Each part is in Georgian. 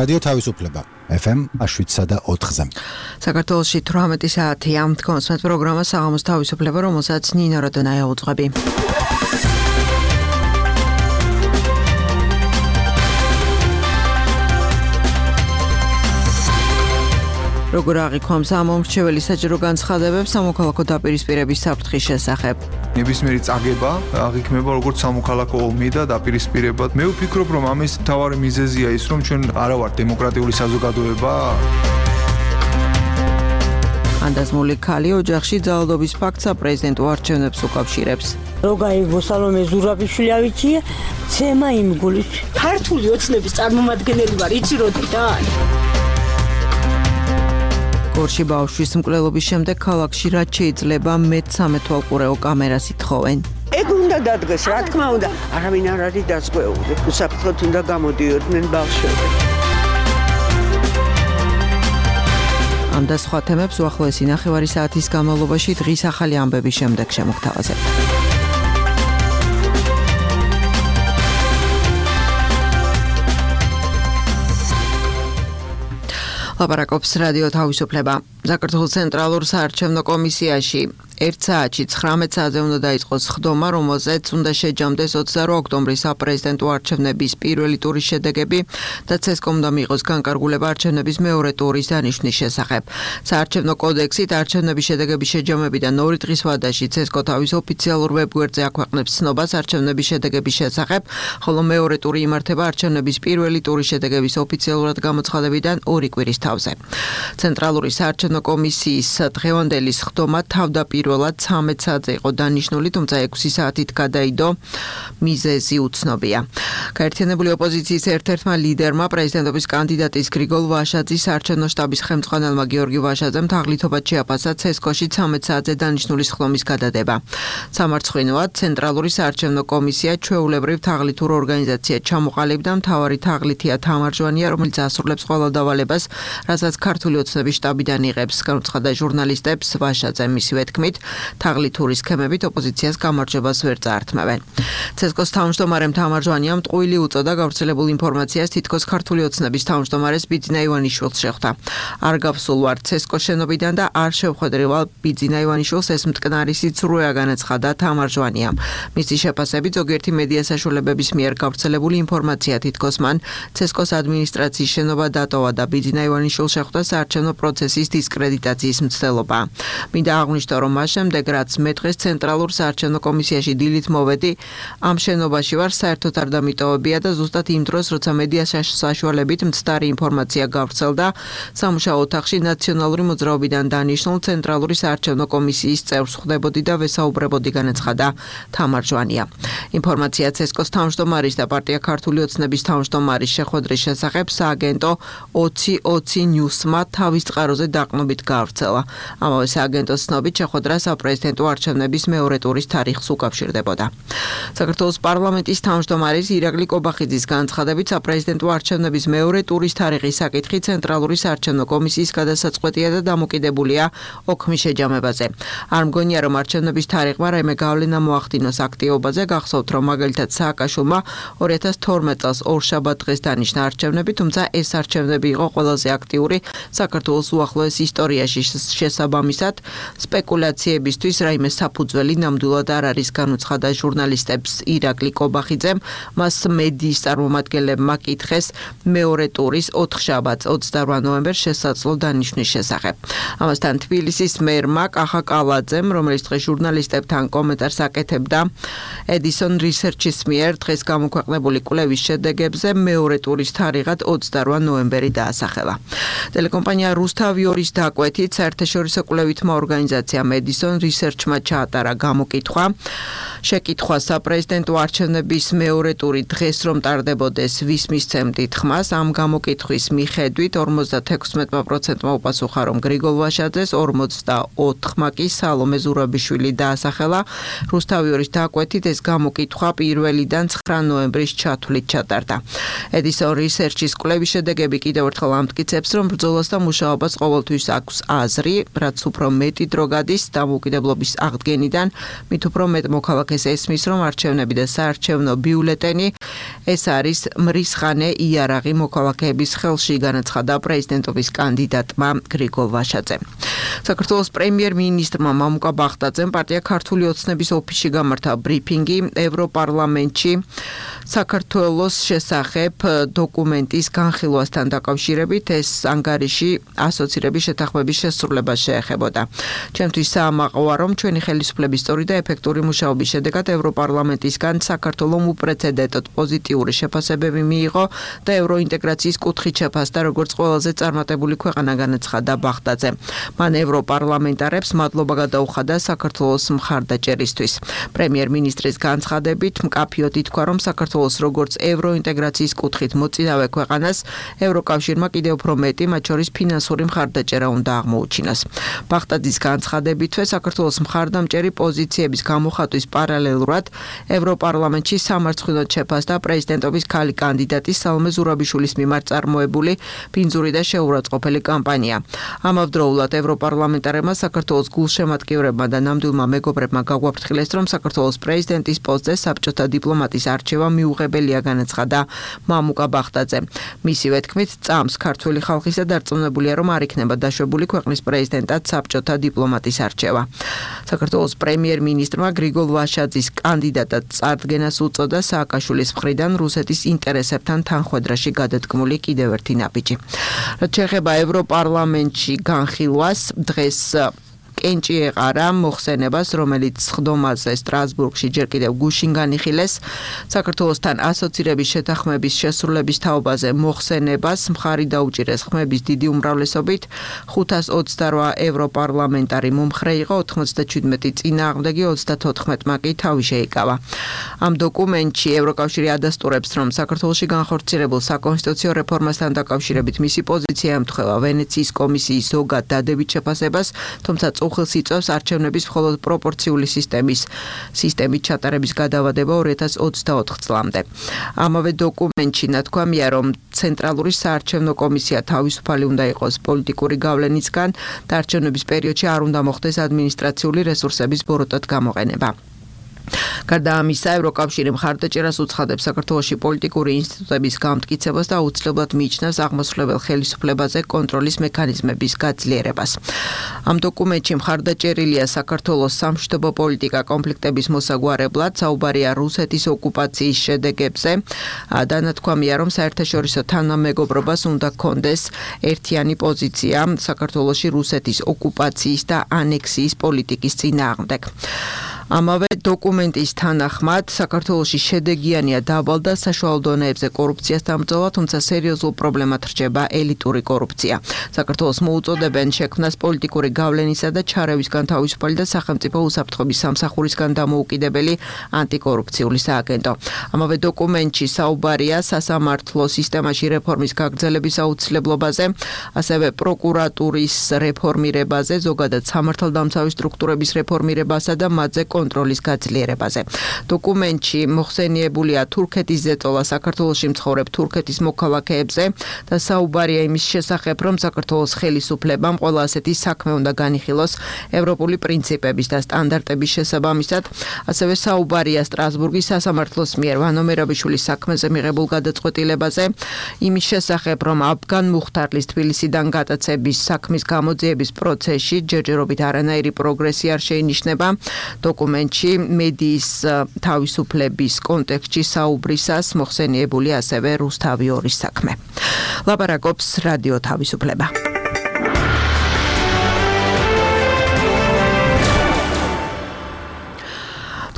რადიო თავისუფლება FM 7.4-ზე. საქართველოში 18 საათია. კონსმეთ პროგრამა საღამოს თავისუფლება, რომელსაც ნინო როდონაია უძღვები. როგორ აღიქვამს ამომრჩეველი საჯარო განცხადებებს სამოქალაქო დაპირისპირების საფრთხის შესახებ. ნებისმიერი წაგება აღიქმება როგორც სამოქალაქო ომი და დაპირისპირება. მე ვფიქრობ, რომ ამის მთავარი მიზეზია ის, რომ ჩვენ არა ვართ დემოკრატიული საზოგადოება. ანდაზმული ქალი ოჯახში ძალადობის ფაქტს საპრეზიდენტო არჩევნებს უკავშირებს. როგაიგო სალომე ზურაბიშვილი ავიჩია, ცემა იმ გულის. ქართული ოცნების წარმომადგენელი ვარ, იცი როდიდან? გორში ბავშვის მკვლელობის შემდეგ ქალაქში რაც შეიძლება მე-13 თვალყურეო კამერას ითხოვენ. ეგ უნდა დადგეს, რა თქმა უნდა, არავინ არ არის დაზღვეული. უსაფრთხოდ უნდა გამოდიოდნენ ბავშვები. ამ და სხვა თემებს უახლოესი ნახევარი საათის განმავლობაში დღის ახალი ამბების შემდეგ შემოგთავაზებთ. ლაპარაკობს რადიო თავისუფლება. საქართველოს ცენტრალურ საარჩევნო კომისიაში 1 საათში 19 საათზე უნდა დაიწყოს ხდომა, რომელზეც უნდა შეჯამდეს 28 ოქტომბრის საპრეზიდენტო არჩევნების პირველი ტურის შედეგები და ცესკომ უნდა მიიღოს განკარგულება არჩევნების მეორე ტურის დანიშვნის შესახებ. საარჩევნო კოდექსით არჩევნების შედეგების შეჯამებიდან 2 დღის ვადაში ცესკო თავის ოფიციალურ ვებგვერდზე აქვეყნებს ცნობას არჩევნების შედეგების შესახებ, ხოლო მეორე ტური იმართება არჩევნების პირველი ტურის შედეგების ოფიციალურად გამოცხადებიდან 2 კვირის თავზე. ცენტრალური საარჩევნო კომისიის დღევანდელი ხდომა თავდაპირველად 13 საათზე იყო დანიშნული, თუმცა 6 საათით გადაიდო. მიზეზი უცნობია. გაერთიანებული ოპოზიციის ერთ-ერთმა ლიდერმა პრეზიდენტობის კანდიდატის გრიგოლ ვაშაძის საარჩევნო შტაბის ხელმძღვანელმა გიორგი ვაშაძემ თაღლითობად შეაფასა ცესკოში 13 საათზე დანიშნული ხდომის გადადება. სამარცხვინოა ცენტრალური საარჩევნო კომისია ჩვეულებრივ თაღლითურ ორგანიზაციად ჩამოყალიბდა. მთავარი თაღლითია თამარ ჟვანია, რომელიც ასრულებს ყველა დავალებას, რასაც ქართული ოცნების შტაბიდან იღებს. განუცხადა ჟურნალისტებს ვაშაძემ მისივე თქმით, თაღლითური სქემებით ოპოზიციას გამარჯვებას ვერ წაართმევენ. ცესკოს თავმჯდომარემ თამარ ჟვანიამ ტყუილი უწოდა გავრცელებულ ინფორმაციას, თითქოს ქართული ოცნების თავმჯდომარეს ბიძინა ივანიშვილს შეხვდა. არ გავსულ ვარ ცესკოს შენობიდან და არ შევხვედრი ვალ ბიძინა ივანიშვილს, ეს მტკნარი სიცრუეა, განაცხადა თამარ ჟვანიამ. მისი შეფასებით ზოგიერთი მედია საშუალებების მიერ გავრცელებული ინფორმაცია თითქოს მან ცესკოს ადმინისტრაციის შენობა დატოვა და ბიძინა ივანიშვილს შეხვდა საარჩევნო პროცესის დისკრედიტაციის მცდელობა. მინდა აღვნიშნო, რომ მას შემდეგ რაც მე დღეს ცენტრალურ საარჩევნო კომისიაში დილით მოვედი, ამ შენობაში ვარ, საერთოდ არ დამიტოვებია და ზუსტად იმ დროს, როცა მედია საშუალებით მცდარი ინფორმაცია გავრცელდა, სამუშაო ოთახში ნაციონალური მოძრაობიდან დანიშნულ ცენტრალური საარჩევნო კომისიის წევრს ხვდებოდი და ვესაუბრებოდი, განაცხადა თამარ ჟვანია. ინფორმაცია ცესკოს თავმჯდომარის და პარტია ქართული ოცნების თავმჯდომარის შეხვედრის შესახებ სააგენტო 2020 ნიუსმა თავის წყაროზე დაყნობით გავრცელა. ამავე სააგენტოს ცნობით შეხვედრა საპრეზიდენტო არჩევნების მეორე ტურის თარიღს უკავშირდებოდა. საქართველოს პარლამენტის თავმჯდომარის ირაკლი კობახიძის განცხადებით საპრეზიდენტო არჩევნების მეორე ტურის თარიღის საკითხი ცენტრალური საარჩევნო კომისიის გადასაწყვეტია და დამოკიდებულია ოქმის შეჯამებაზე. არ მგონია, რომ არჩევნების თარიღმა რაიმე გავლენა მოახდინოს აქტივობაზე. გახსოვთ, რომ მაგალითად სააკაშვილმა 2012 წელს ორშაბათ დღეს დანიშნა არჩევნები, თუმცა ეს არჩევნები იყო ყველაზე აქტიური საქართველოს უახლოეს ისტორიაში. შესაბამისად, სპეკულაციებისთვის რაიმე საფუძველი ნამდვილად არ არის, განუცხადა ჟურნალისტებს ირაკლი კობახიძემ. მას მედიის წარმომადგენლებმა კითხეს მეორე ტურის 4 შაბათს 28 ნოემბერს შესაძლო დანიშვნის შესახებ. ამასთან თბილისის მერმა კახა კალაძემ, რომელიც დღეს ჟურნალისტებთან კომენტარს აკეთებდა ედისონ რისერჩის მიერ დღეს გამოქვეყნებული კვლევის შედეგებზე, მეორე ტურის თარიღად 28 ნოემბერი დაასახელა. ტელეკომპანია რუსთავიორის დაკვეთით საერთაშორისო კვლევითმა ორგანიზაციამ ედისონ რისერჩმა ჩაატარა გამოკითხვა. შეკითხვა საპრეზიდენტო არჩევნების მეორე ტური დღეს რომ ტარდებოდეს, ვის მისცემდით ხმას? ამ გამოკითხვის მიხედვით 56%-მა უპასუხა, რომ გრიგოლ ვაშაძეს, 44%-მა კი სალომე ზურაბიშვილი დაასახელა. რუსთავიორის დაკვეთით ეს გამოკითხვა 1-დან 9 ნოემბრის ჩათვლით ჩატარდა. ედისონ რისერჩის კვლევის შედეგები კიდევ ერთხელ ამტკიცებს, რომ ბრძოლას და მუშაობას ყოველთვის აქვს აზრი, რაც უფრო მეტი დრო გადის და დამოუკიდებლობის აღდგენიდან, მით უფრო მეტ მოქალაქეს ესმის, რომ არჩევნები და საარჩევნო ბიულეტენი ეს არის მრისხანე იარაღი მოქალაქეების ხელში, განაცხადა პრეზიდენტობის კანდიდატმა გრიგოლ ვაშაძემ. საქართველოს პრემიერ-მინისტრმა მამუკა ბახტაძემ პარტია ქართული ოცნების ოფისში გამართა ბრიფინგი ევროპარლამენტში საქართველოს შესახებ დოკუმენტის განხილვასთან დაკავშირებით. ეს ანგარიში ასოცირების შეთანხმების შესრულებას შეეხებოდა. ჩემთვის საამაყოა, რომ ჩვენი ხელისუფლების სწორი და ეფექტური მუშაობის შედეგად ევროპარლამენტისგან საქართველოს უპრეცედენტოდ პოზიტიური შეფასებები მიიღო და ევროინტეგრაციის კუთხით შეფასდა როგორც ყველაზე წარმატებული ქვეყანა, განაცხადა ბახტაძე. მან ევროპარლამენტარებს მადლობა გადაუხადა საქართველოს მხარდაჭერისთვის. პრემიერ-მინისტრის განცხადებით მკაფიოდ ითქვა, რომ საქართველოს როგორც ევროინტეგრაციის კუთხით მოწინავე ქვეყანას ევროკავშირმა კიდევ უფრო მეტი, მათ შორის ფინანსური მხარდაჭერა უნდა აღმოუჩინოს. ბახტაძის განცხადებითვე საქართველოს მხარდამჭერი პოზიციების გამოხატვის პარალელურად ევროპარლამენტში სამარცხვინოდ შეფასდა პრეზიდენტობის ქალი კანდიდატის სალომე ზურაბიშვილის მიმართ წარმოებული ბინძური და შეურაცხყოფელი კამპანია. ამავდროულად ევროპარლამენტარებმა საქართველოს გულშემატკივრებმა და ნამდვილმა მეგობრებმა გაგვაფრთხილეს, რომ საქართველოს პრეზიდენტის პოსტზე საბჭოთა დიპლომატის არჩევა მიუღებელია, განაცხადა მამუკა ბახტაძე. მისივე თქმით, წამს ქართული ხალხისა დარწმუნებულია, რომ არ იქნება დაშვებული ქვეყნის პრეზიდენტად საბჭოთა დიპლომატის არჩევა. საქართველოს პრემიერ-მინისტრმა გრიგოლ ვაშაძის კანდიდატად წარდგენას უწოდა სააკაშვილის მხრიდან რუსეთის ინტერესებთან თანხვედრაში გადადგმული კიდევ ერთი ნაბიჯი. რაც შეეხება ევროპარლამენტში განხილვას, დღეს კენჭი ეყარა მოხსენებას, რომელიც ხდომაზე სტრასბურგში ჯერ კიდევ გუშინ განიხილეს. საქართველოსთან ასოცირების შეთანხმების შესრულების თაობაზე მოხსენებას მხარი დაუჭირეს ხმების დიდი უმრავლესობით. 528 ევროპარლამენტარი მომხრე იყო, 97 წინააღმდეგი, 34-მა კი თავი შეიკავა. ამ დოკუმენტში ევროკავშირი ადასტურებს, რომ საქართველოში განხორციელებულ საკონსტიტუციო რეფორმასთან დაკავშირებით მისი პოზიცია ემთხვევა ვენეციის კომისიის ზოგად დადებით შეფასებას, თუმცა უხილს იწვევს არჩევნების მხოლოდ პროპორციული სისტემით ჩატარების გადავადება 2024 წლამდე. ამავე დოკუმენტში ნათქვამია, რომ ცენტრალური საარჩევნო კომისია თავისუფალი უნდა იყოს პოლიტიკური გავლენისგან და არჩევნების პერიოდში არ უნდა მოხდეს ადმინისტრაციული რესურსების ბოროტად გამოყენება. გარდა ამისა, ევროკავშირი მხარდაჭერას უცხადებს საქართველოში პოლიტიკური ინსტიტუტების გამტკიცებას და აუცილებლად მიიჩნევს აღმასრულებელ ხელისუფლებაზე კონტროლის მექანიზმების გაძლიერებას. ამ დოკუმენტში მხარდაჭერილია საქართველოს სამშვიდობო პოლიტიკა კონფლიქტების მოსაგვარებლად, საუბარია რუსეთის ოკუპაციის შედეგებზე და ნათქვამია, რომ საერთაშორისო თანამეგობრობას უნდა ჰქონდეს ერთიანი პოზიცია საქართველოში რუსეთის ოკუპაციის და ანექსიის პოლიტიკის წინააღმდეგ. ამავე დოკუმენტის თანახმად, საქართველოში შედეგიანია დაბალ და საშუალო დონეებზე კორუფციასთან ბრძოლა, თუმცა სერიოზულ პრობლემად რჩება ელიტური კორუფცია. საქართველოს მოუწოდებენ შექმნას პოლიტიკური გავლენისა და ჩარევისგან თავისუფალი და სახელმწიფო უსაფრთხოების სამსახურისგან დამოუკიდებელი ანტიკორუფციული სააგენტო. ამავე დოკუმენტში საუბარია სასამართლო სისტემაში რეფორმის გაგრძელების აუცილებლობაზე, ასევე პროკურატურის რეფორმირებაზე, ზოგადად სამართალდამცავი სტრუქტურების რეფორმირებასა და მათზე კონტროლის გაძლიერებაზე. დოკუმენტში მოხსენიებულია თურქეთის ზეწოლა საქართველოში მცხოვრებ თურქეთის მოქალაქეებზე და საუბარია იმის შესახებ, რომ საქართველოს ხელისუფლებამ ყველა ასეთი საქმე უნდა განიხილოს ევროპული პრინციპების და სტანდარტების შესაბამისად. ასევე საუბარია სტრასბურგის სასამართლოს მიერ ვანო მერაბიშვილის საქმეზე მიღებულ გადაწყვეტილებაზე, იმის შესახებ, რომ აფგან მუხთარლის თბილისიდან გატაცების საქმის გამოძიების პროცესში ჯერჯერობით არანაირი პროგრესი არ შეინიშნება. დოკუმენტში მედიის თავისუფლების კონტექსტში საუბრისას მოხსენიებული ასევე რუსთავი 2-ის საქმე. ლაპარაკობს რადიო თავისუფლება.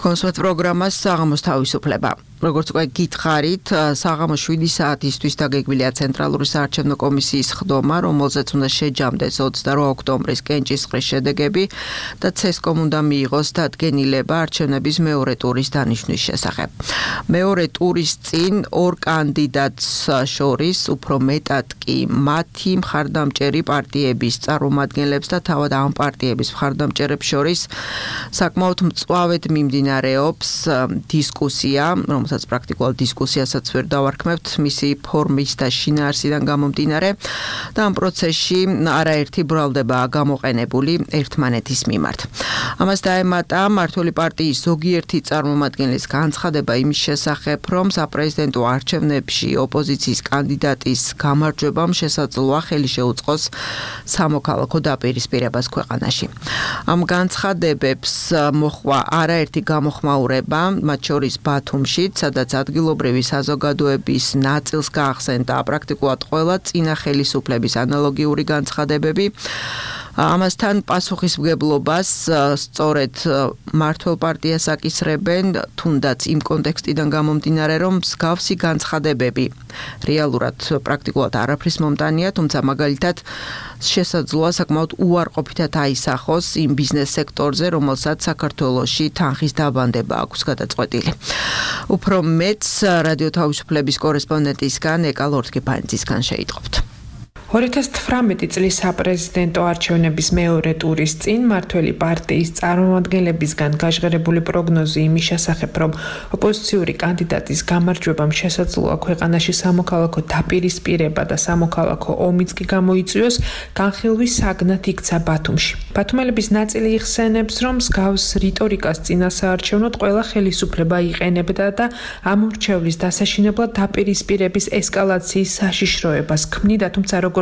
კონსულტ პროგრამას საღამოს თავისუფლება. როგორც უკვე გითხარით, საღამოს 7 საათისთვის დაგეგმილია ცენტრალური საარჩევნო კომისიის ხდომა, რომელზეც უნდა შეჯამდეს 28 ოქტომბრის კენჭისყრის შედეგები და ცესკომ უნდა მიიღოს დადგენილება არჩევნების მეორე ტურის დანიშვნის შესახებ. მეორე ტურის წინ ორ კანდიდატს შორის უფრო მეტად კი მათი მხარდამჭერი პარტიების წარმომადგენლებს და თავად ამ პარტიების მხარდამჭერებს შორის საკმაოდ მწვავედ მიმდინარეობს დისკუსია, რომელსაც რომელსაც პრაქტიკულად დისკუსიასაც ვერ დავარქმევთ მისი ფორმის და შინაარსიდან გამომდინარე და ამ პროცესში არაერთი ბრალდება გამოყენებული ერთმანეთის მიმართ. ამას დაემატა მმართველი პარტიის ზოგიერთი წარმომადგენლის განცხადება იმის შესახებ, რომ საპრეზიდენტო არჩევნებში ოპოზიციის კანდიდატის გამარჯვებამ შესაძლოა ხელი შეუწყოს სამოქალაქო დაპირისპირებას ქვეყანაში. ამ განცხადებებს მოხვა არაერთი გამოხმაურება, მათ შორის ბათუმშიც, სადაც ადგილობრივი საზოგადოების ნაწილს გაახსენდა პრაქტიკულად ყველა წინა ხელისუფლების ანალოგიური განცხადებები. ამასთან პასუხისმგებლობას სწორედ მმართველ პარტიას აკისრებენ, თუნდაც იმ კონტექსტიდან გამომდინარე, რომ მსგავსი განცხადებები რეალურად პრაქტიკულად არაფრის მომტანია, თუმცა მაგალითად შესაძლოა საკმაოდ უარყოფითად აისახოს იმ ბიზნეს სექტორზე, რომელსაც საქართველოში თანხის დაბანდება აქვს გადაწყვეტილი. უფრო მეც რადიო თავისუფლების კორესპონდენტისგან ეკა ლორთქიფანიძისგან შეიტყობთ. 2018 წლის საპრეზიდენტო არჩევნების მეორე ტურის წინ მმართველი პარტიის წარმომადგენლებისგან გაჟღერებული პროგნოზი იმის შესახებ, რომ ოპოზიციური კანდიდატის გამარჯვებამ შესაძლოა ქვეყანაში სამოქალაქო დაპირისპირება და სამოქალაქო ომიც კი გამოიწვიოს, განხილვის საგნად იქცა ბათუმში. ბათუმელების ნაწილი იხსენებს, რომ მსგავს რიტორიკას წინასაარჩევნოდ ყველა ხელისუფლება იყენებდა და ამ მრჩევლის დასაშინებლად დაპირისპირების ესკალაციის საშიშროებას ქმნიდა, თუმცა როგორც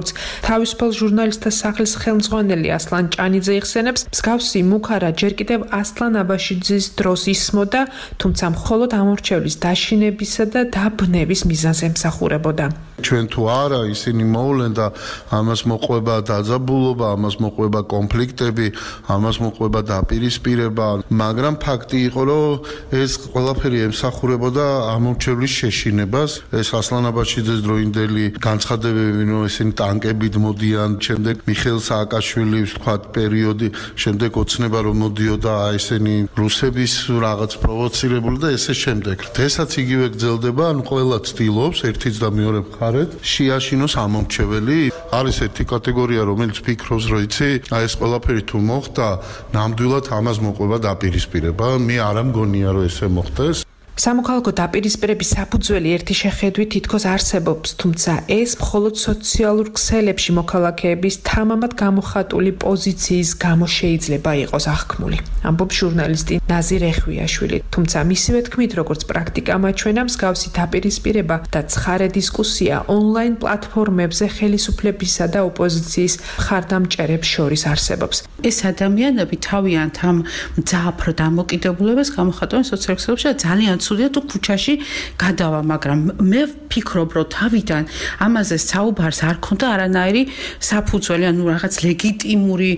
თავისუფალ ჟურნალისტთა სახლის ხელმძღვანელი ასლან ჭანიძე იხსენებს, მსგავსი მუქარა ჯერ კიდევ ასლან აბაშიძის დროს ისმოდა, თუმცა მხოლოდ ამ მრჩევლის დაშინებისა და დაბნევის მიზანს ემსახურებოდა. ჩვენ თუ არა ისინი მოვლენ და ამას მოყვება დაძაბულობა, ამას მოყვება კონფლიქტები, ამას მოყვება დაპირისპირება, მაგრამ ფაქტი იყო, რომ ეს ყველაფერი ემსახურებოდა ამ მრჩევლის შეშინებას. ეს ასლან აბაშიძის დროინდელი განცხადებები, რომ ესენი ტანკებით მოდიან, შემდეგ მიხეილ სააკაშვილის თქვათ პერიოდი, შემდეგ ოცნება რომ მოდიოდა ესენი რუსების რაღაც პროვოცირებული და ესე შემდეგ. ესაც იგივე გრძელდება, ანუ ყველა ცდილობს ერთიც და მეორე მხარეთ შეაშინოს ამ მომრჩეველი. არის ერთი კატეგორია, რომელიც ფიქრობს, რომ იცი, აი ეს ყველაფერი თუ მოხდა, ნამდვილად ამას მოყვება დაპირისპირება. მე არ მგონია, რომ ესე მოხდეს. სამოქალაქო დაპირისპირების საფუძველი ერთი შეხედვით თითქოს არსებობს, თუმცა ეს მხოლოდ სოციალურ ქსელებში მოქალაქეების თამამად გამოხატული პოზიციის გამო შეიძლება იყოს აღქმული. ამბობს ჟურნალისტი ნაზირ ეხვიაშვილი, თუმცა მისივე თქმით, როგორც პრაქტიკა მაჩვენა, მსგავსი დაპირისპირება და ცხარე დისკუსია ონლაინ პლატფორმებზე ხელისუფლებისა და ოპოზიციის მხარდამჭერებს შორის არსებობს. ეს ადამიანები თავიანთ ამ მძაფრ დამოკიდებულებას გამოხატავენ სოციალურ ქსელებში და ძალიან ცუდია თუ ქუჩაში გადავა, მაგრამ მე ვფიქრობ, რომ თავიდან ამაზე საუბარს არ ქონდა არანაირი საფუძველი, ანუ რაღაც ლეგიტიმური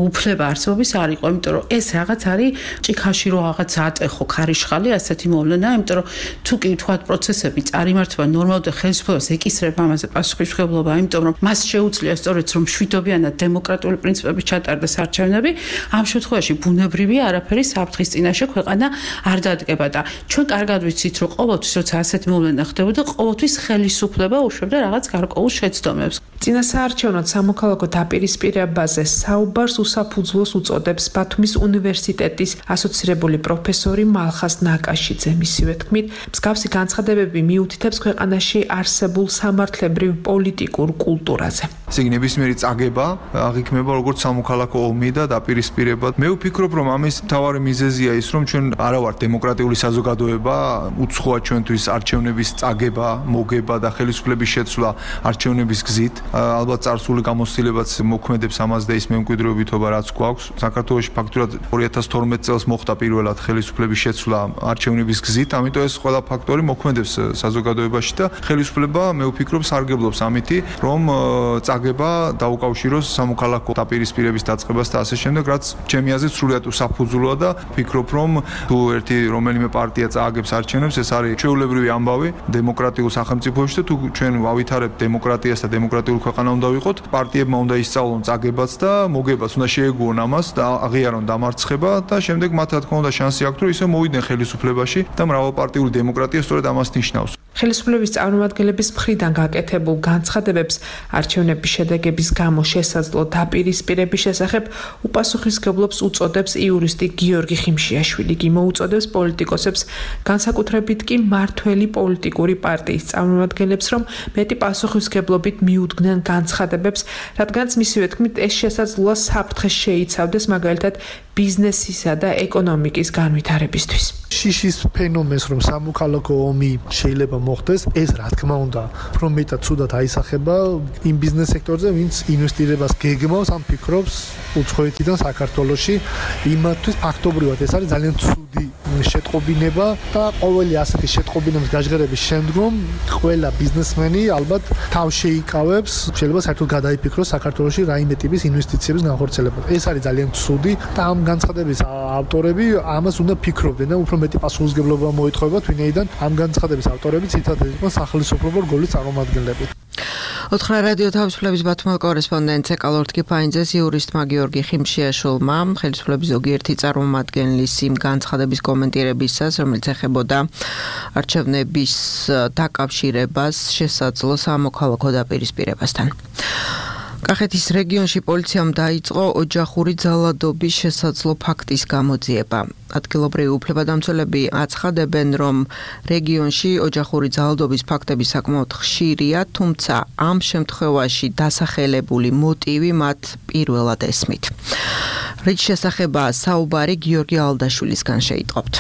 უფლება არსებობის არ იყო, იმიტომ რომ ეს რაღაც არის ჭიქაში რო რაღაც ატეხო ქარიშხალი, ასეთი მოვლენაა, იმიტომ რომ თუ კი თქვათ პროცესები წარიმართება ნორმალურად და ხელისუფლებას ეკისრება ამაზე პასუხისმგებლობა, იმიტომ რომ მას შეუძლია სწორედ რომ მშვიდობიანად დემოკრატიული პრინციპებით ჩატარდეს არჩევნები, ამ შემთხვევაში ბუნებრივია არაფერი საფრთხის წინაშე ქვეყანა არ დადგება და ჩვენ კარგად ვიცით, რომ ყოველთვის როცა ასეთი მოვლენა ხდებოდა, ყოველთვის ხელისუფლება უშვებდა რაღაც გარკვეულ შეცდომებს. წინასაარჩევნოდ სამოქალაქო დაპირისპირებაზე საუბარს უსაფუძვლოს უწოდებს ბათუმის უნივერსიტეტის ასოცირებული პროფესორი მალხას ნაკაშიძე. მისივე თქმით, მსგავსი განცხადებები მიუთითებს ქვეყანაში არსებულ სამართლებრივ პოლიტიკურ კულტურაზე. ნებისმიერი წაგება აღიქმება როგორც სამოქალაქო ომი და დაპირისპირება. მე ვფიქრობ, რომ ამის მთავარი მიზეზია ის, რომ ჩვენ არა ვართ დემოკრატიული საზოგადოება, უცხოა ჩვენთვის არჩევნების წაგება, მოგება და ხელისუფლების შეცვლა არჩევნების გზით. ალბათ წარსული გამოცდილებაც მოქმედებს ამას და ის მემკვიდრეობითობა რაც გვაქვს. საქართველოში ფაქტურად 2012 წელს მოხდა პირველად ხელისუფლების შეცვლა არჩევნების გზით, ამიტომ ეს ყველა ფაქტორი მოქმედებს საზოგადოებაში და ხელისუფლება მე ვფიქრობ სარგებლობს ამითი, რომ წაგება დაუკავშიროს სამოქალაქო დაპირისპირების დაწყებას და ასე შემდეგ, რაც ჩემი აზრით სრულიად უსაფუძვლოა და ვფიქრობ, რომ თუ ერთი რომელიმე პარტია წააგებს არჩევნებს, ეს არის ჩვეულებრივი ამბავი დემოკრატიულ სახელმწიფოებში და თუ ჩვენ ვავითარებთ დემოკრატიას და დემოკრატიულ ქვეყანა უნდა ვიყოთ, პარტიებმა უნდა ისწავლონ წაგებაც და მოგებაც, უნდა შეეგუონ ამას და აღიარონ დამარცხება და შემდეგ მათ რა თქმა უნდა შანსი აქვთ, რომ ისე მოვიდნენ ხელისუფლებაში და მრავალპარტიული დემოკრატია სწორედ ამას ნიშნავს. ხელისუფლების წარმომადგენლების მხრიდან გაკეთებულ განცხადებებს არჩევნების მიღებული შედეგების გამო შესაძლო დაპირისპირების შესახებ უპასუხისმგებლობს უწოდებს იურისტი გიორგი ხიმშიაშვილი. იგი მოუწოდებს პოლიტიკოსებს, განსაკუთრებით კი მმართველი პოლიტიკური პარტიის წარმომადგენლებს, რომ მეტი პასუხისმგებლობით მიუდგნენ განცხადებებს, რადგანაც მისივე თქმით ეს შესაძლოა საფრთხე შეიცავდეს მაგალითად ბიზნესისა და ეკონომიკის განვითარებისთვის. შიშის ფენომენს რომ სამოქალაქო ომი შეიძლება მოხდეს, ეს რა თქმა უნდა, უფრო მეტად ცუდად აისახება იმ ბიზნეს სექტორზე, ვინც ინვესტირებას გეგმავს, ან ფიქრობს უცხოეთიდან საქართველოში. იმათთვის ფაქტობრივად ეს არის ძალიან ცუდი შეტყობინება და ყოველი ასეთი შეტყობინების გაჟღერების შემდგომ ყველა ბიზნესმენი ალბათ თავს შეიკავებს, შეიძლება საერთოდ გადაიფიქროს საქართველოში რაიმე ტიპის ინვესტიციების განხორციელება. ეს არის ძალიან ცუდი და ამ განცხადების ავტორები ამას უნდა ფიქრობდნენ და უფრო მეტი პასუხისმგებლობა მოითხოვებათ, ვინაიდან ამ განცხადების ავტორები ცითადად იყვნენ სახელმწიფო რგოლის წარმომადგენლები. ოთხრა რადიო თავისუფლების ბათუმელ კორესპონდენტ ეკალორთ კიფაინძეს იურისტმა გიორგი ხიმშიაშვილმა ხელისუფლების ზოგიერთი წარმომადგენლის იმ განცხადების კომენტირებისას, რომელიც ეხებოდა არჩევნების დაკავშირებას შესაძლო სამოქალაქო დაპირისპირებასთან. კახეთის რეგიონში პოლიციამ დაიწყო ოჯახური ძალადობის შესაძლო ფაქტის გამოძიება. ადგილობრივი უფლებადამცველები აცხადებენ, რომ რეგიონში ოჯახური ძალადობის ფაქტები საკმაოდ ხშირია, თუმცა ამ შემთხვევაში დასახელებული მოტივი მათ პირველად ესმით. რის შესახებაა საუბარი გიორგი ალდაშვილისგან შეიტყობთ.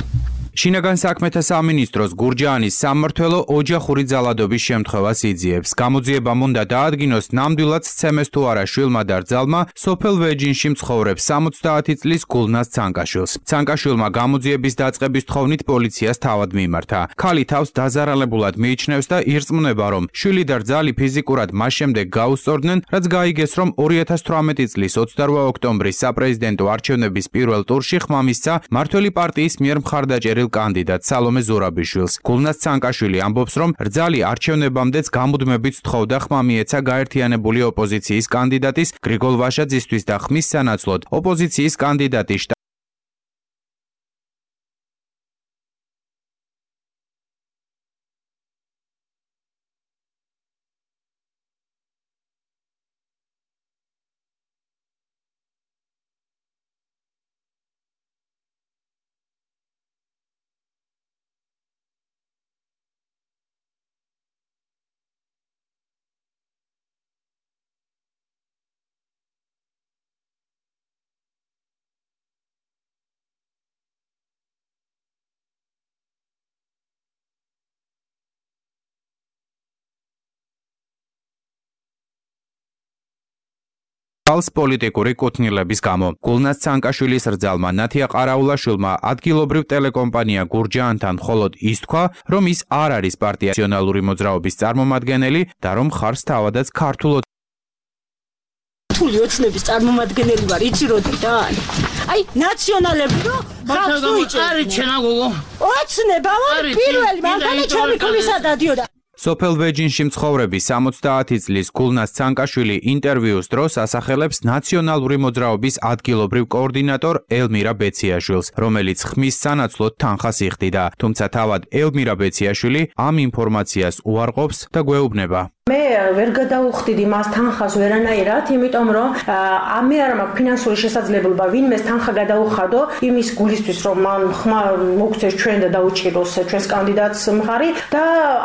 შინაგან საქმეთა სამინისტროს გურჯაანის სამმართველო ოჯახური ძალადობის შემთხვევას იძიებს. გამოძიებამ უნდა დაადგინოს ნამდვილად სცემეს თუ არა შვილმა და რძალმა სოფელ ვეჯინში მცხოვრებ 70 წლის გულნას ცანკაშვილს. ცანკაშვილმა გამოძიების დაწყების თხოვნით პოლიციას თავად მიმართა. ქალი თავს დაზარალებულად მიიჩნევს და ირწმუნება, რომ შვილი და რძალი ფიზიკურად მას შემდეგ გაუსწორდნენ, რაც გაიგეს, რომ 2018 წლის 28 ოქტომბრის საპრეზიდენტო არჩევნების პირველ ტურში ხმა მისცა მმართველი პარტიის მიერ მხარდაჭერილ კანდიდატ სალომე ზურაბიშვილს. გულნას ცანკაშვილი ამბობს, რომ რძალი არჩევნებამდეც გამუდმებით თხოვდა ხმა მიეცა გაერთიანებული ოპოზიციის კანდიდატის გრიგოლ ვაშაძისთვის და ხმის სანაცვლოდ ოპოზიციის კანდიდატი ხალხს პოლიტიკური კუთვნილების გამო. გულნას ცანკაშვილის რძალმა ნათია ყარაულაშვილმა ადგილობრივ ტელეკომპანია გურჯაანთან მხოლოდ ის თქვა, რომ ის არ არის პარტია ნაციონალური მოძრაობის წარმომადგენელი და რომ ხარს თავადაც ქართულ რთული ოცნების წარმომადგენელი ვარ, იცი როდიდან? აი, ნაციონალები რო ხალხს უიჭერენ. არის ჩენა გოგო. ოცნება ვარ პირველი, მანქანა ჩემი ქმისა დადიოდა. სოფელ ვეჯინში მცხოვრები 70 წლის გულნას ცანკაშვილი ინტერვიუს დროს ასახელებს ნაციონალური მოძრაობის ადგილობრივ კოორდინატორ ელმირა ბეციაშვილს, რომელიც ხმის სანაცვლოდ თანხას იხდიდა. თუმცა თავად ელმირა ბეციაშვილი ამ ინფორმაციას უარყოფს და გვეუბნება. მე ვერ გადავუხდიდი მას თანხას ვერანაირად, იმიტომ რომ მე არ მაქვს ფინანსური შესაძლებლობა ვინმეს თანხა გადაუხადო იმის გულისთვის, რომ მან ხმა მოგცეს ჩვენ და დაუჭიროს ჩვენს კანდიდატს მხარი და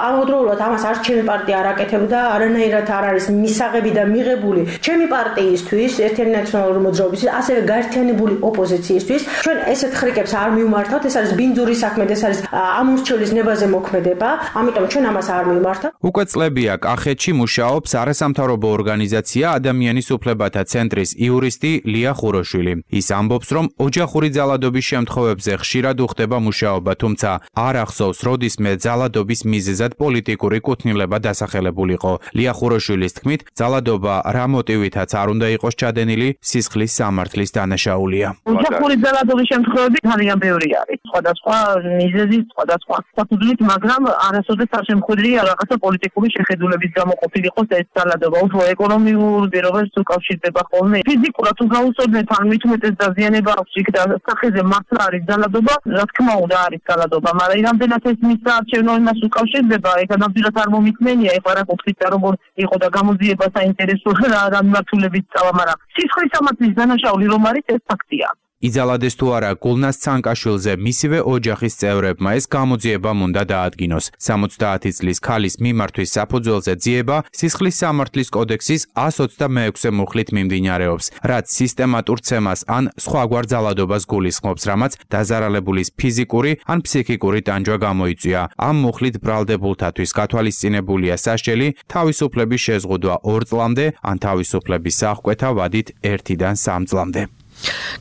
ამავდროულად ამას არც ჩემი პარტია არ აკეთებდა, არანაირად არ არის მისაღები და მიღებული ჩემი პარტიისთვის, ერთიანი ნაციონალური მოძრაობის, ასევე გაერთიანებული ოპოზიციისთვის. ჩვენ ესეთ ხრიკებს არ მივმართავთ, ეს არის ბინძური საქმე, ეს არის ამორჩევლის ნებაზე მოქმედება, ამიტომ ჩვენ ამას არ მივმართავთ. უკვე წლებია კახეთში მუშაობს არასამთავრობო ორგანიზაცია ადამიანის უფლებათა ცენტრის იურისტი ლია ხუროშვილი. ის ამბობს, რომ ოჯახური ძალადობის შემთხვევებზე ხშირად უხდება მუშაობა, თუმცა არ ახსოვს, როდისმე ძალადობის მიზეზად პოლიტიკური კუთვნილება დასახელებულიყო. ლია ხუროშვილის თქმით, ძალადობა რა მოტივითაც არ უნდა იყოს ჩადენილი, სისხლის სამართლის დანაშაულია. ოჯახური ძალადობის შემთხვევები ძალიან ბევრი არის. სხვადასხვა მიზეზით, სხვადასხვა საფუძვლით, მაგრამ არასოდეს არ შემხვედრია რაღაცა პოლიტიკური შეხედულების გამოყოფილი იყოს ეს ძალადობა. უფრო ეკონომიურ პირობებს უკავშირდება ხოლმე. ფიზიკურად თუ გაუსწორდეთ, ან მით უმეტეს დაზიანება აქვს იქ და სახეზე მართლა არის ძალადობა, რა თქმა უნდა არის ძალადობა, მაგრამ რამდენად ეს მის საარჩევნო იმას უკავშირდება, ეხლა ნამდვილად არ მომიწმენია, ეხლა რა ყოფილი როგორ იყო და გამოძიება საინტერესო რა მიმართულებით წავა, მაგრამ სისხლის სამართლის დანაშაული რომ არის ეს ფაქტია. იძალადეს თუ არა გულნას ცანკაშვილზე მისივე ოჯახის წევრებმა ეს გამოძიება უნდა დაადგინოს. 70 წლის ქალის მიმართვის საფუძველზე ძიება სისხლის სამართლის კოდექსის 126 მუხლით მიმდინარეობს, რაც სისტემატურ ცემას ან სხვაგვარ ძალადობას გულისხმობს, რამაც დაზარალებულის ფიზიკური ან ფსიქიკური ტანჯვა გამოიწვია. ამ მუხლით ბრალდებულთათვის გათვალისწინებულია სასჯელი თავისუფლების შეზღუდვა 2 წლამდე ან თავისუფლების აღკვეთა ვადით 1-დან 3 წლამდე.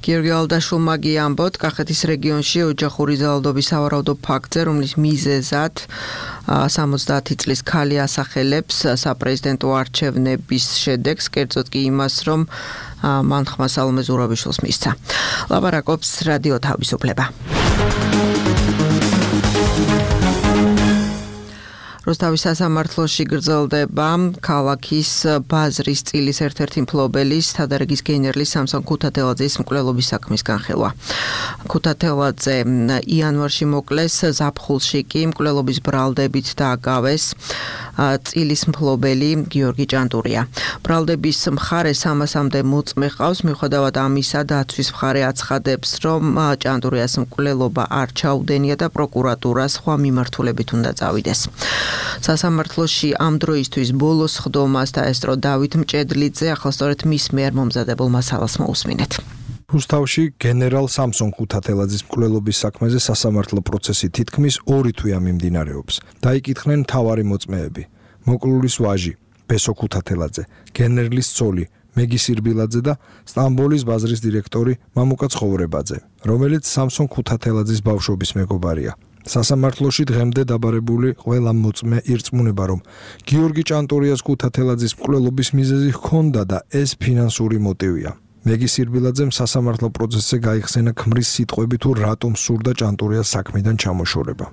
გიორგი ალდაშვილმა ამბობთ, კახეთის რეგიონში ოჯახური ძალადობის სავარაუდო ფაქტზე, რომლის მიზეზად 70 წლის ქალი ასახელებს საპრეზიდენტო არჩევნების შედეგს, კერძოდ კი იმას, რომ მან ხმა სალომე ზურაბიშვილს მისცა. ლაპარაკობს რადიო თავისუფლება. რუსთავის სასამართლოში გრძელდება ქალაქის ბაზრის წილის ერთ-ერთი მფლობელის თადარიგის გენერლის სამსონ ქუთათელაძის მკვლელობის საქმის განხილვა. ქუთათელაძე იანვარში მოკლეს ზაფხულში კი მკვლელობის ბრალდებით დააგავეს წილის მფლობელი გიორგი ჭანტურია. ბრალდების მხარე 300-მდე მოწმე ყავს, მიუხედავად ამისა დაცვის მხარე აცხადებს, რომ ჭანტურიას მკვლელობა არ ჩაუდენია და პროკურატურა სხვა მიმართულებით უნდა წავიდეს. სასამართლოში ამ დროისთვის ბოლოს ხდომას დაესწრო დავით მჭედლიძე, ახლა სწორედ მის მიერ მომზადებულ მასალას მოусმინეთ. რუსთავში გენერალ სამსონ ქუთათელაძის მკვლელობის საქმეზე სასამართლო პროცესი თითქმის 2 თვეა მიმდინარეობს. დაიკითხნენ მთავარი მოწმეები: მოკლულის ვაჟი ბესო ქუთათელაძე, გენერლის ცოლი მეგი სირბილაძე და სტამბოლის ბაზრის დირექტორი მამუკა ცხოვრებაძე, რომელიც სამსონ ქუთათელაძის ბავშვობის მეგობარია. სასამართლოში დღემდე დაბარებული ყველა მოწმე ირწმუნება, რომ გიორგი ჭანტურიას ქუთათელაძის მკვლელობის მიზეზი ჰქონდა და ეს ფინანსური მოტივია. მეგი სირბილაძემ სასამართლო პროცესზე გაიხსენა ქმრის სიტყვები თუ რატომ სურდა ჭანტურიას საქმიდან ჩამოშორება.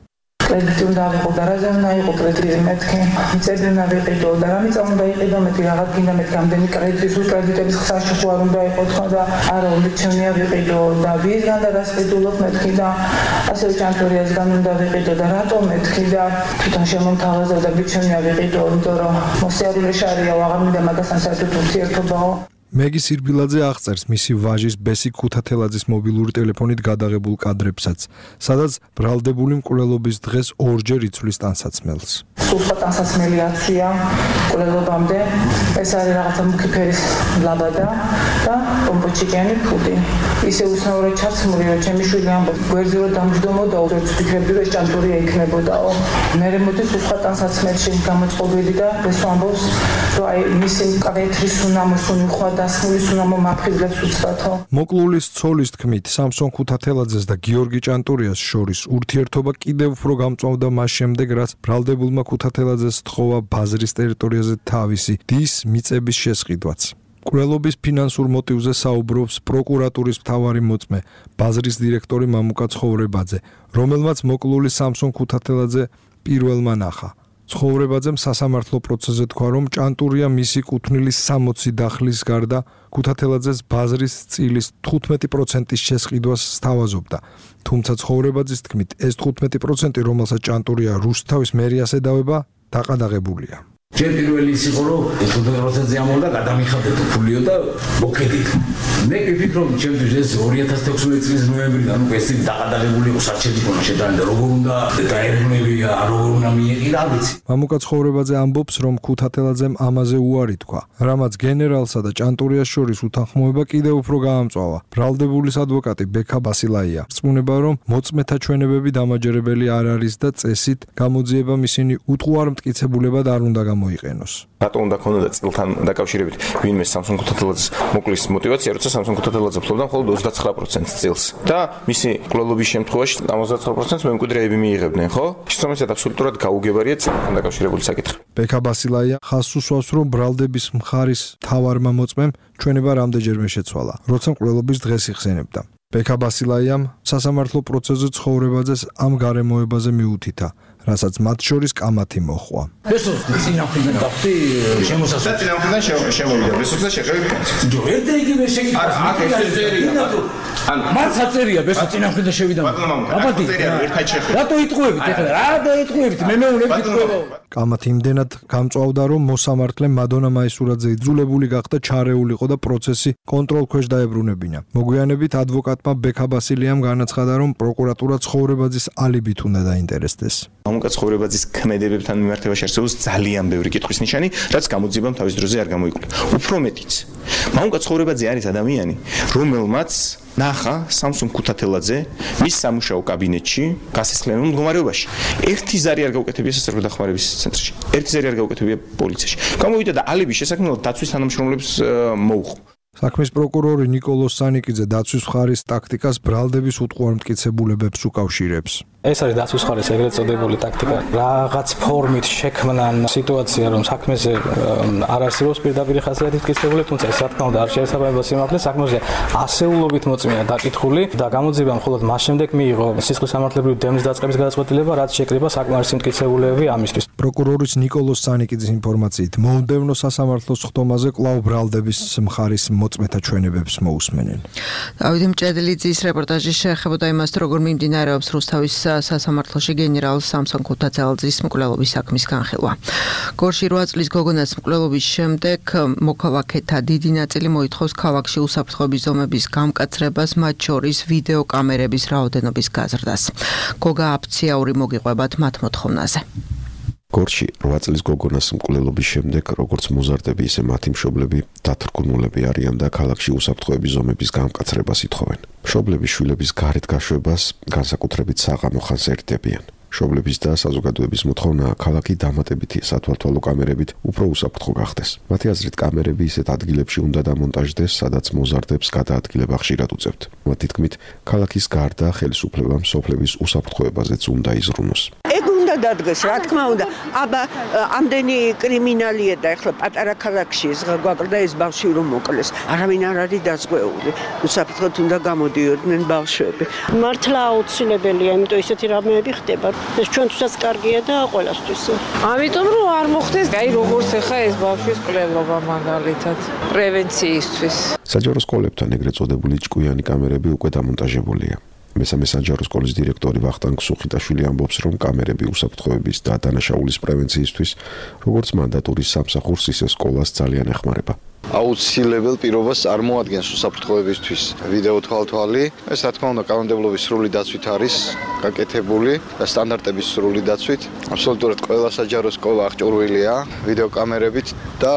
კრედიტი უნდა ავიღო და რაზე უნდა იყო კრედიტი მეთქი მიწები უნდა ვიყიდო და რა მიწა უნდა იყიდო მეთქი რაღაც გინდა მეთქი ამდენი კრედიტის კრედიტების ხსაში ხო არ უნდა იყო თქვა და არა უმეჩნია ვიყიდო და ვიზგან და გასყიდულობ მეთქი და ასევე ჭანტურიასგან უნდა ვიყიდო და რატომ მეთქი და თვითონ შემომთავაზა და მიჩნია ვიყიდო იმიტომ რომ მოსიარულე შარია აღარ მინდა მაგასთან საერთოდ ურთიერთობაო. მეგი სირბილაძე აღწერს მისი ვაჟის ბესი ქუთათელაძის მობილური ტელეფონით გადაღებულ კადრებსაც, სადაც ბრალდებული მკვლელობის დღეს 2-ჯერ იცვლის ტანსაცმელს. სულხა ტანსაცმელი აცვია მკვლელობამდე, ეს არის რაღაცა მუქი ფერის ლაბადა და პომპოჩიკიანი ფუდი. ისე უცნაურად ჩაცმული, რომ ჩემი შვილი ამბობს, გვერდზე რომ დამჯდომოდა, უძებს ვფიქრებდი, რომ ჭანტურია იქნებოდაო. მერე მოდის სულხა ტანსაცმელში გამოწყობილი და ეს ამბობს, რომ აი მისი კადეტრის უნამოსუნი ხვა მოკლულის ცოლის თქმით, სამსონ ქუთათელაძეს და გიორგი ჭანტურიას შორის ურთიერთობა კიდევ უფრო გამწვავდა მას შემდეგ, რაც ბრალდებულმა ქუთათელაძეს თხოვა ბაზრის ტერიტორიაზე თავისი დის მიწების შესყიდვაც. მკვლელობის ფინანსურ მოტივზე საუბრობს პროკურატურის მთავარი მოწმე, ბაზრის დირექტორი მამუკა ცხოვრებაძე, რომელმაც მოკლული სამსონ ქუთათელაძე პირველმა ნახა. ცხოვრებაძემ სასამართლო პროცესზე თქვა, რომ ჭანტურია მისი კუთვნილის 60 დახლის გარდა ქუთათელაძეს ბაზრის წილის 15%-ის შესყიდვას სთავაზობდა. თუმცა ცხოვრებაძის თქმით, ეს 15%, რომელსაც ჭანტურია რუსთავის მერიას ედავება, დაყადაღებულია. ჯერ პირველი ის იყო, რომ 15%-ზე ამოვიდა, გადამიხადეთ ფულიო და მოქმედით. მე ვფიქრობ, ჩემთვის ეს 2016 წლის ნოემბრიდან უკვე ეს დაყადაღებული იყო საჩელი ქონა შეტანილი და როგორ უნდა დაერგნებია, როგორ უნდა მიეყიდა, არ ვიცი. მამუკა ცხოვრებაძე ამბობს, რომ ქუთათელაძემ ამაზე უარი თქვა, რამაც გენერალსა და ჭანტურიას შორის უთანხმოება კიდევ უფრო გაამწვავა. ბრალდებულის ადვოკატი ბექა ბასილაია რწმუნება, რომ მოწმეთა ჩვენებები დამაჯერებელი არ არის და წესით გამოძიებამ ისინი უტყუარ მტკიცებულებად არ უნდა მოიყენოს. რატომ უნდა ქონოდა წილთან დაკავშირებით ვინმე სამსონ ქუთათელაძის მოკლის мотиваცია, როცა სამსონ ქუთათელაძე ფლობდა მხოლოდ 29% წილს და მისი მკვლელობის შემთხვევაში 79% მემკვიდრეები მიიღებდნენ, ხო? შესაბამისად აბსოლუტურად გაუგებარია წილთან დაკავშირებული საკითხი. ბექა ბასილაია ხაზს უსვავს, რომ ბრალდების მხარის მთავარმა მოწმემ ჩვენება რამდენჯერმე შეცვალა, როცა მკვლელობის დღეს იხსენებდა. ბექა ბასილაიამ სასამართლო პროცესზე ცხოვრებაძეს ამ გარემოებაზე მიუთითა, რასაც მათ შორის კამათი მოჰყვა. ბესოს წინამხრიდან გახდი შემოსასწრაფო. წინამხრიდან შემოვიდა ბესოზე შეყევი. ჯო ერთ იგივე შეკითხვა. არა, აქ ეს წერია. ანუ მათ საწერია ბესო წინამხრიდან შევიდა. აბა წერია ერთად შეხედე. რატო იტყუებით ახლა? რა დაიტყუებით? მე მეუნები იტყუება. კამათი იმდენად გამწვავდა, რომ მოსამართლე მადონა მაისურაძე იძულებული გახდა ჩარეულიყო და პროცესი კონტროლ ქვეშ დაებრუნებინა. მოგვიანებით ადვოკატმა ბექა ბასილიამ განაცხადა, რომ პროკურატურა ცხოვრებაძის ალიბით უნდა დაინტერესდეს. მამუკა ცხოვრებაძის ქმედებებთან მიმართებაში არსებობს ძალიან ბევრი კითხვის ნიშანი, რაც გამოძიებამ თავის დროზე არ გამოიკვლია. უფრო მეტიც, მამუკა ცხოვრებაძე არის ადამიანი, რომელმაც ნახა სამსუნ ქუთათელაძე მის სამუშაო კაბინეტში გასესხლიანებულ მდგომარეობაში. ერთი ზარი არ გაუკეთებია სასწრაფო დახმარების ცენტრში. ერთი ზარი არ გაუკეთებია პოლიციაში. გამოვიდა და ალიბის შესაქმნელად დაცვის თანამშრომლებს მოუხო. საქმის პროკურორი ნიკოლოზ სანიკიძე დაცვის მხარის ტაქტიკას ბრალდების უტყუარმტკიცებულებებს უკავშირებს. ეს არის დაცვის მხარის ეგრეთ წოდებული ტაქტიკა. რაღაც ფორმით შექმნან სიტუაცია, რომ საქმეზე არ არსებობს პირდაპირ ხასიათის მტკიცებულება, თუმცა ეს რა თქმა უნდა არ შეესაბამება სიმართლეს. საქმეზე ასეულობით მოწმეა დაკითხული და გამოძიება მხოლოდ მას შემდეგ მიიღო სისხლის სამართლებრივი დემნის დაწყების გადაწყვეტილება, რაც შეკრიბა საკმარისი მტკიცებულებები ამისთვის. პროკურორის ნიკოლოზ სანიკიძის ინფორმაციით, მომდევნო სასამართლოს ხდომაზე კვლავ ბრალდების მხარის მოწმეთა ჩვენებებს მოусმენენ. დავით მჭედლიძის რეპორტაჟი შეეხებოდა იმას, როგორ მიმდინარეობს რუსთავის სასამართლოში გენერალ სამსონ ქუთათელაძის მკვლელობის საქმის განხილვა. გორში 8 წლის გოგონას მკვლელობის შემდეგ მოქალაქეთა დიდი ნაწილი მოითხოვს ქალაქში უსაფრთხოების ზომების გამკაცრებას, მათ შორის ვიდეო კამერების რაოდენობის გაზრდას. გოგა აფციაური მოგიყვებათ მათ მოთხოვნაზე. გორში 8 წლის გოგონას მკვლელობის შემდეგ, როგორც მოზარდები, ისე მათი მშობლები დათრგუნულები არიან და ქალაქში უსაფრთხოების ზომების გამკაცრებას ითხოვენ. მშობლები შვილების გარეთ გაშვებას განსაკუთრებით საღამო ხანს ერთდებიან. მშობლების და საზოგადოების მოთხოვნაა ქალაქი დამატებითი სათვალთვალო კამერებით უფრო უსაფრთხო გახდეს. მათი აზრით, კამერები ისეთ ადგილებში უნდა დამონტაჟდეს, სადაც მოზარდებს გადაადგილება ხშირად უწევთ. მათი თქმით, ქალაქის გარდა ხელისუფლებამ სოფლების უსაფრთხოებაზეც უნდა იზრუნოს. უნდა დადგეს, რა თქმა უნდა. აბა ამდენი კრიმინალია და ეხლა პატარა ქალაქში ეს გვაკლდა ეს ბავშვი რომ მოკლეს. არავინ არ არის დაზღვეული. უსაფრთხოდ უნდა გამოდიოდნენ ბავშვები. მართლა აუცილებელია, იმიტომ ისეთი რამეები ხდება. ეს ჩვენთვისაც კარგია და ყველასთვის. ამიტომ რომ არ მოხდეს, აი როგორც ახლა ეს ბავშვის კვლელობა მაგალითად პრევენციისთვის. საჯარო სკოლებთან ეგრეთ წოდებული ჭკვიანი კამერები უკვე დამონტაჟებულია. მესამე საჯარო სკოლის დირექტორი ვახტანგ სუხიტაშვილი ამბობს, რომ კამერები უსაფრთხოების და დანაშაულის პრევენციისთვის, როგორც მანდატურის სამსახურს, ისე სკოლას ძალიან ეხმარება. აუცილებელ პირობას წარმოადგენს უსაფრთხოებისთვის ვიდეო თვალთვალი. ეს რა თქმა უნდა კანონმდებლობის სრული დაცვით არის გაკეთებული და სტანდარტების სრული დაცვით. აბსოლუტურად ყველა საჯარო სკოლა აღჭურვილია ვიდეო კამერებით და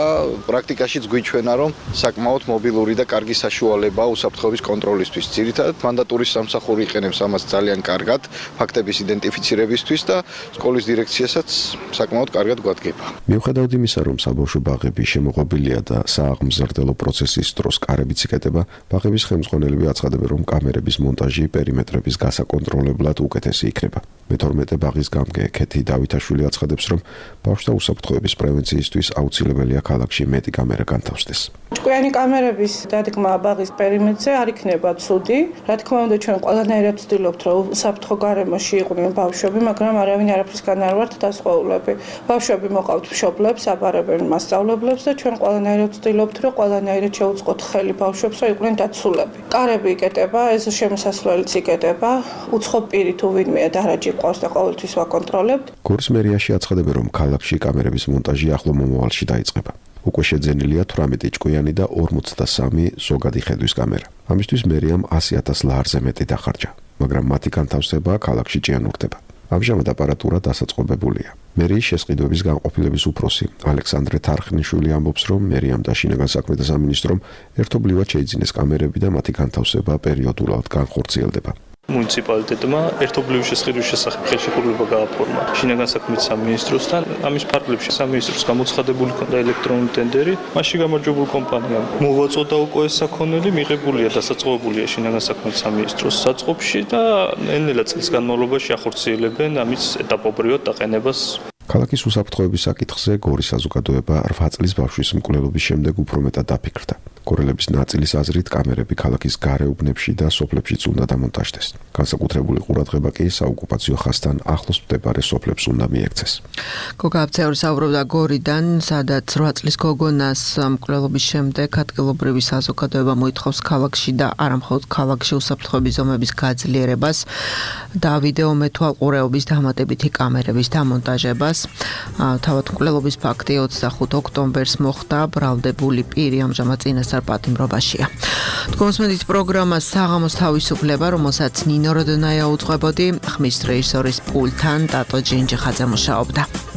პრაქტიკაშიც გვიჩვენა, რომ საკმაოდ მობილური და კარგი საშუალებაა უსაფრთხოების კონტროლისთვის. ძირითადად მანდატურის სამსახური იყენებს ამას ძალიან კარგად ფაქტების იდენტიფიცირებისთვის და სკოლის დირექციასაც საკმაოდ კარგად გვადგება. მიუხედავად იმისა, რომ საბავშვო ბაღები შემოღობილია და აღმზრდელო პროცესის დროს კარებიც იკეტება, ბაღების ხელმძღვანელები აცხადებენ, რომ კამერების მონტაჟი პერიმეტრების გასაკონტროლებლად უკეთესი იქნება. მე-12 ბაღის გამგე ქეთი დავითაშვილი აცხადებს, რომ ბავშვთა უსაფრთხოების პრევენციისთვის აუცილებელია ქალაქში მეტი კამერა განთავსდეს. ჭკვიანი კამერების დადგმა ბაღის პერიმეტრზე არ იქნება ცუდი. რა თქმა უნდა, ჩვენ ყველანაირად ვცდილობთ, რომ უსაფრთხო გარემოში იყვნენ ბავშვები, მაგრამ არავინ არაფრისგან არ ვართ დასაწყოვლები. ბავშვები მოყავთ მშობლებს, აბარებენ მასწავლებლებს და ჩვენ ყველანაირად ვცდილობთ, რომ ყველანაირად შევუწყოთ ხელი ბავშვებს, რომ იყვნენ დაცულები. კარები იკეტება, ეს შემოსასვლელიც იკეტება, უცხო პირი თუ ვინმე დარაჯი ყავს და ყოველთვის ვაკონტროლებთ. გორის მერიაში აცხადებენ, რომ ქალაქში კამერების მონტაჟი ახლო მომავალში დაიწყება. უკვე შეძენილია 18 ჭკვიანი და 43 ზოგადი ხედვის კამერა. ამისთვის მერიამ 100,000 ლარზე მეტი დახარჯა, მაგრამ მათი განთავსება ქალაქში ჭიანურდება. ამჟამად აპარატურა დასაწყობებულია. მერიის შესყიდვების განყოფილების უფროსი ალექსანდრე თარხნიშვილი ამბობს, რომ მერიამ და შინაგან საქმეთა სამინისტრომ ერთობლივად შეიძინეს კამერები და მათი განთავსება პერიოდულად განხორციელდება. მუნიციპალიტეტმა ერთობლივი შესყიდვის შესახებ ხელშეკრულება გააფორმა შინაგან საქმეთა სამინისტროსთან. ამის ფარგლებში სამინისტროს გამოცხადებული ქონდა ელექტრონული ტენდერი, მასში გამარჯვებულ კომპანიამ მოვაწოდა უკვე ეს საქონელი, მიღებულია დასაწყობებულია შინაგან საქმეთა სამინისტროს საწყობში და ნელ-ნელა წლის განმავლობაში ახორციელებენ ამის ეტაპობრივად დაყენებას. ქალაქის უსაფრთხოების საკითხზე გორის საზოგადოება 8 წლის ბავშვის მკვლელობის შემდეგ უფრო მეტად დაფიქრდა. გორელების ნაწილის აზრით კამერები ქალაქის გარეუბნებში და სოფლებშიც უნდა დამონტაჟდეს. განსაკუთრებული ყურადღება კი საოკუპაციო ხაზთან ახლოს მდებარე სოფლებს უნდა მიექცეს. გოგა აფცეური საუბრობდა გორიდან, სადაც 8 წლის გოგონას მკვლელობის შემდეგ ადგილობრივი საზოგადოება მოითხოვს ქალაქში და არა მხოლოდ ქალაქში უსაფრთხოების ზომების გაძლიერებას და ვიდეო მეთვალყურეობის დამატებითი კამერების დამონტაჟებას. თავად მკვლელობის ფაქტი 25 ოქტომბერს მოხდა, ბრალდებული პირი ამჟამად წინასწარ პატიმრობაშია. თქვენს პროგრამა საღამოს თავისუფლება, რომელსაც ნინო როდონაია უძღვებოდი, ხმის რეჟისორის პულტთან ტატო ჯინჯიხაძე მუშაობდა.